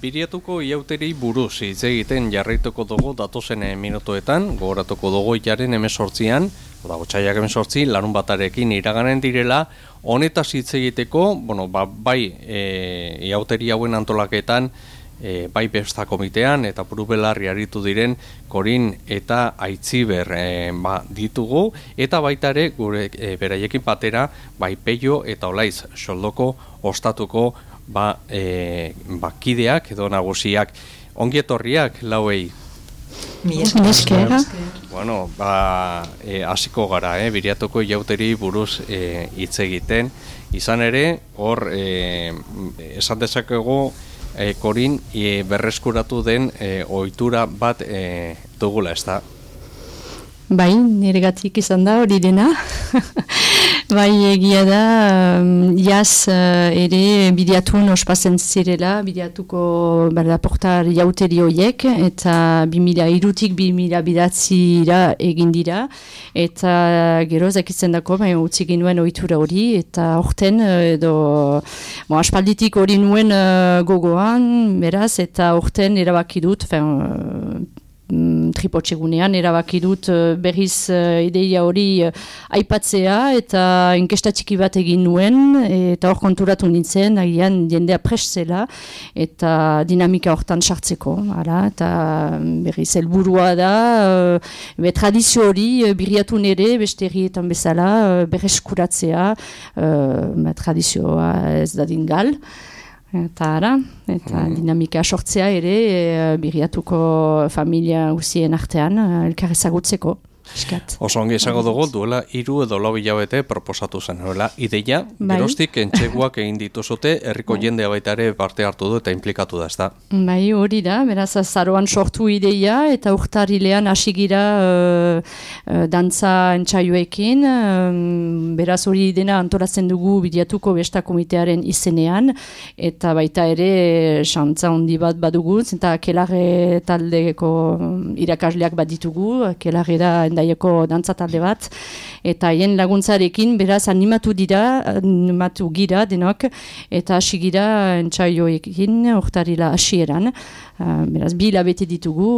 Biriatuko iauteri buruz hitz egiten jarraituko dugu datozen minutuetan, gogoratuko dugu hilaren 18an, otsailak 18, larun batarekin iraganen direla, honetaz hitz egiteko, bai iauteri hauen antolaketan, bai besta komitean eta burubelarri aritu diren Korin eta Aitziber ditugu, eta baita ere gure beraiekin batera bai Peio eta Olaiz Soldoko ostatuko kideak edo nagusiak. Ongi etorriak lauei. Bueno, hasiko gara, Biriatuko iauteri buruz hitz egiten. Izan ere, hor esan dezakegu Korin berreskuratu den ohitura bat dugula, ezta? Bai, niregatik izan da hori dena. Bai, egia da, jaz ere Biriatun ospatzen zirela, Biriatuko portar jauteri horiek, eta 2003-tik 2009-ra egin dira, eta gero zakitzen dako, utzi ginuen ohitura hori, eta horten, aspalditik hori nuen gogoan, beraz, eta horten erabaki dut, tripotxegunean erabaki dut berriz ideia hori aipatzea eta inkesta txiki bat egin nuen eta hor konturatu nintzen agian jendea prest zela eta dinamika hortan sartzeko eta berriz helburua da tradizio hori Biriatun ere beste herrietan bezala berreskuratzea tradizioa ez dadin gal. Eta dinamika sortzea ere Biriatuko familia guztien artean elkar ezagutzeko. Oso ongi esango dugu, duela 3 edo 4 hilabete proposatu zen, ideia, geroztik entxeguak egin dituzute, herriko jendea baita ere parte hartu du eta implikatu da, ezta? Bai, hori da, beraz azaroan sortu ideia eta urtarilean hasi gira dantza entsaioekin, beraz hori dena antolatzen dugu Biriatuko besta komitearen izenean, eta baita ere xantza handi bat badugu, eta Kelarre taldeko irakasleak bat ditugu, Kelarre da endaieko dantza talde bat, eta haien laguntzarekin beraz animatu gira denok, eta hasi gira entsaioekin urtarila hasieran. Beraz, 2 hilabete ditugu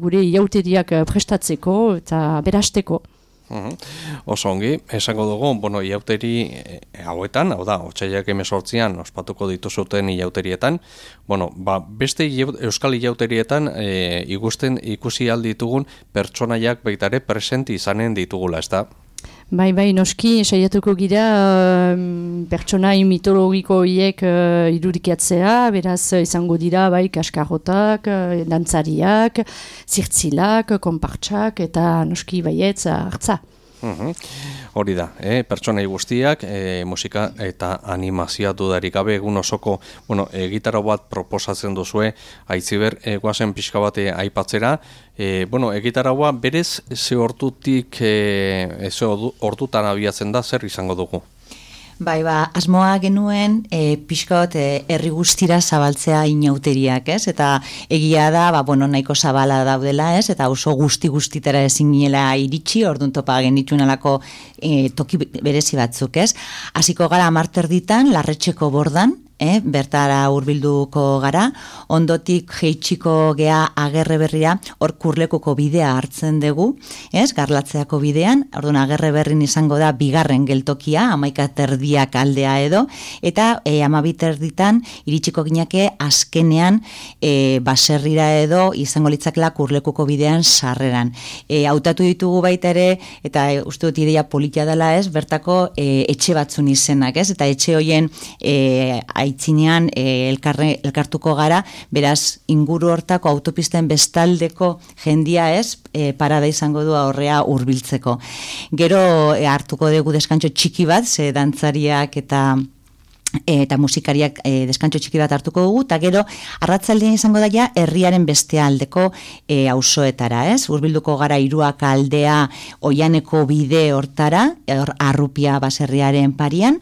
gure iauteriak prestatzeko eta berasteko. Oso ongi, esango dugu, iauteri hauetan, otsailak 18an ospatuko dituzuten iauterietan, beste euskal iauterietan ikusi alditugun pertsonaiak baitare presenti izanen ditugula, ez da? Bai, noski, saiatuko gira pertsonai mitologiko horiek irudikatzea, beraz izango dira bai kaskarrotak, dantzariak, zirtzilak, konpartsak eta noski baietz hartza. Hori da, pertsonai guztiak, musika eta animazioa dudarik gabe egun osoko, gitarra bat proposatzen duzue, Aitziber, guazen pixka bat aipatzera, gitarra bat berez ze ordutan abiatzen da, zer izango dugu? Bai, asmoa genuen pixkot herri guztira zabaltzea inauteriak, ez? Eta egia da, nahiko zabala daudela, ez? Eta oso guztitara ezin ginela iritsi, orduan topa genitxunalako toki berezi batzuk, ez? Hasiko gara 10 Larretxeko bordan, bertara hurbilduko gara, ondotik jeitsiko gea Agerre Berrira, hor Kurlekuko bidea hartzen dugu, Garlatzeako bidean, orduan Agerre Berrin izango da 2. geltokia, 11:30 aldea edo, eta 12:30 iritsiko ginake azkenean baserrira edo izango litzakela Kurlekuko bidean sarreran. Hautatu ditugu baita ere, eta uste dut ideia politia dela, bertako etxe batzun izenak, eta etxe hoien aitzinean elkartuko gara, beraz inguru hortako autopisten bestaldeko jendia parada izango du aurrea hurbiltzeko. Gero hartuko dugu deskantxo txiki bat, ze dantzariak eta musikariak deskantxo txiki bat hartuko dugu, eta gero arratsaldean izango da herriaren beste aldeko auzoetara, hurbilduko gara Hiruak aldea Oianeko bide hortara, Arrupia baserriaren parian,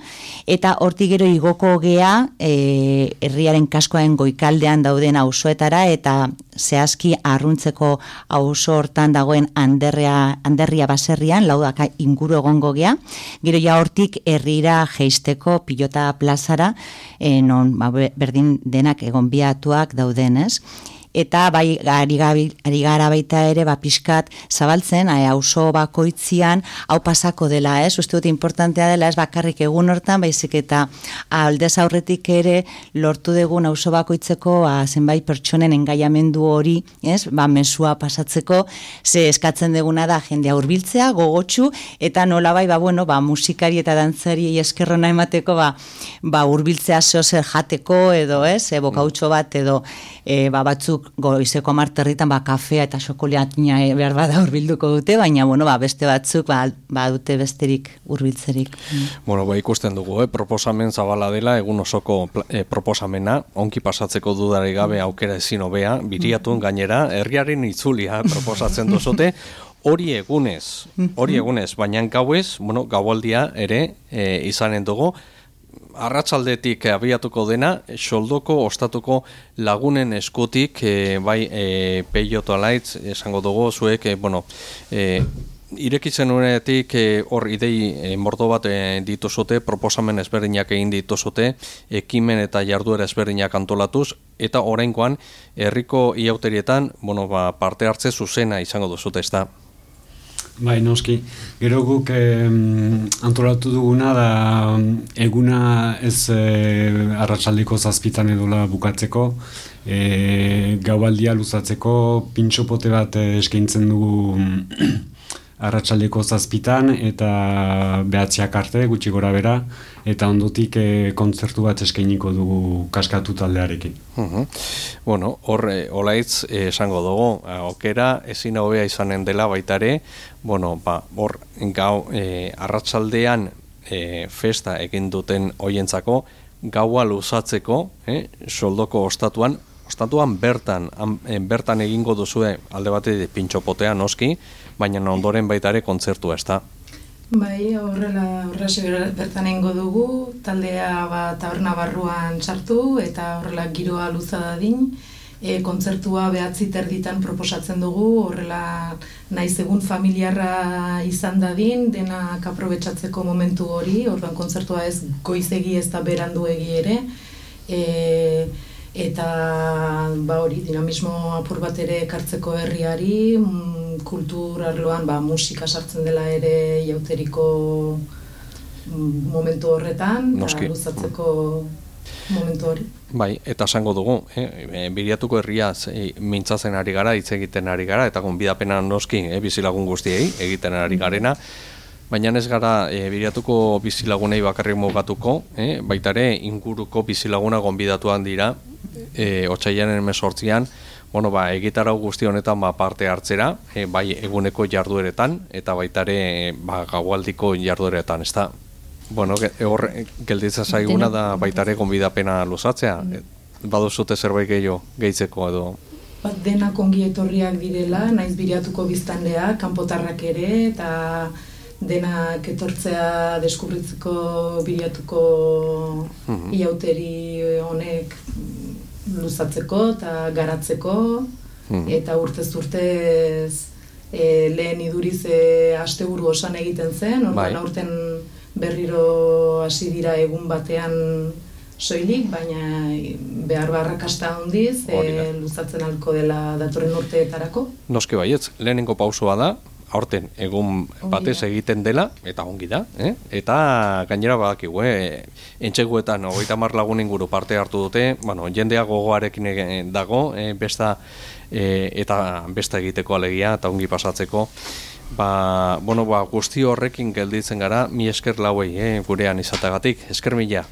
eta hortik gero igoko gea herriaren kaskoaren goikaldean dauden auzoetara, eta zehazki arruntzeko auzo hortan dagoen Anderria baserrian, Laudaka inguru egongo gea, gero ja hortik herrira jeisteko Pilota plazara, non berdin denak egonbiatuak daudenez. Eta bai ari gara baita ere pixkat zabaltzen auzo bakoitzian hau pasako dela, uste dut importantea dela, ez bakarrik egun hortan, baizik eta aldez aurretik ere lortu dugun auzo bakoitzeko zenbait pertsonen engaiamendu hori, mesua pasatzeko, ze eskatzen duguna da jendea hurbiltzea, gogotsu, eta nolabai musikari eta dantzari eskerrona emateko hurbiltzea zeozer jateko edo, bokautxo bat edo batzuk goizeko 10 kafea eta xokolatina behar bada hurbilduko dute, baina beste batzuk dute besterik hurbiltzerik. Ikusten dugu, proposamen zabala dela, egun osoko proposamena, onki pasatzeko dudari gabe aukera ezin hobea, biriatun gainera, herriaren itzulia proposatzen duzute, hori egunez, baina gauez, gaualdia ere izanen dugu, arratsaldetik abiatuko dena, soldoko ostatuko lagunen eskutik, Peioto Alaitz, esango dugu, zuek, irekitzen unetik hor idei mordo bat dituzute, proposamen ezberdinak egin dituzute, ekimen eta jarduera ezberdinak antolatuz, eta oraingoan herriko iauterietan, parte hartze zuzena izango duzute, ez da? Bai, noski. Gero guk antolatu duguna da eguna ez arratsaldeko 7 edola bukatzeko, gaualdia luzatzeko pintxopote bat eskaintzen dugu arratsaldeko 7 eta 9 arte, gutxi gora bera, eta ondotik kontzertu bat eskainiko dugu Kaskatu taldearekin. Hor, Olaitz esango dugu, aukera ezin hobea izanen dela baitare, hor gau arratsaldean festa egin duten hoientzako, gaua luzatzeko, soldoko ostatuan bertan egingo duzue alde batetik pintxopotea noski, baina ondoren baitare kontzertua, ez da? Bai, horrelaxe bertan egingo dugu, taldea taberna barruan sartu eta horrela giroa luza dadin, kontzertua 9:30 proposatzen dugu, horrela naiz egun familiarra izan dadin, denak aprobetxatzeko momentu hori, orduan kontzertua ez goizegi ez da beranduegi ere, eta hori dinamismo apur bat ere ekartzeko herriari, kultur arloan musika sartzen dela ere jauteriko momentu horretan, eta luzatzeko momentu hori. Bai, eta esango dugu, biriatuko herriaz mintzatzen ari gara, hitz egiten ari gara, eta gonbidapena noski bizilagun guztiei egiten ari garena, baina ez gara biriatuko bizilagunei bakarrik mugatuko, baitare inguruko bizilaguna gonbidatuan dira, otsailaren 18an, egitarau guzti honetan parte hartzera, bai eguneko jardueretan, eta baitare gaualdiko jardueretan, ez da? Hor gelditza zaiguna da baitare gonbidapena luzatzea, baduzute zerbait gehitzeko edo? Denak ongi etorriak direla, naiz biriatuko biztanleak, kanpotarrak ere, eta denak etortzea deskubritzeko biriatuko iauteri honek luzatzeko eta garatzeko, eta urtez lehen iduriz asteburu osan egiten zen, orduan aurten berriro hasi dira egun batean soilik, baina behar barrakasta handiz, luzatzen alko dela datorren urteetarako. Noski baietz, lehenengo pausua da, aurten egun batez egiten dela, eta ongi da, eta gainera badakigu, entxeguetan 30 lagun inguru parte hartu dute, jendea gogoarekin dago, eta besta egiteko alegia, eta ongi pasatzeko, guzti horrekin gelditzen gara, mi esker lauei, gurean izatagatik, esker mila.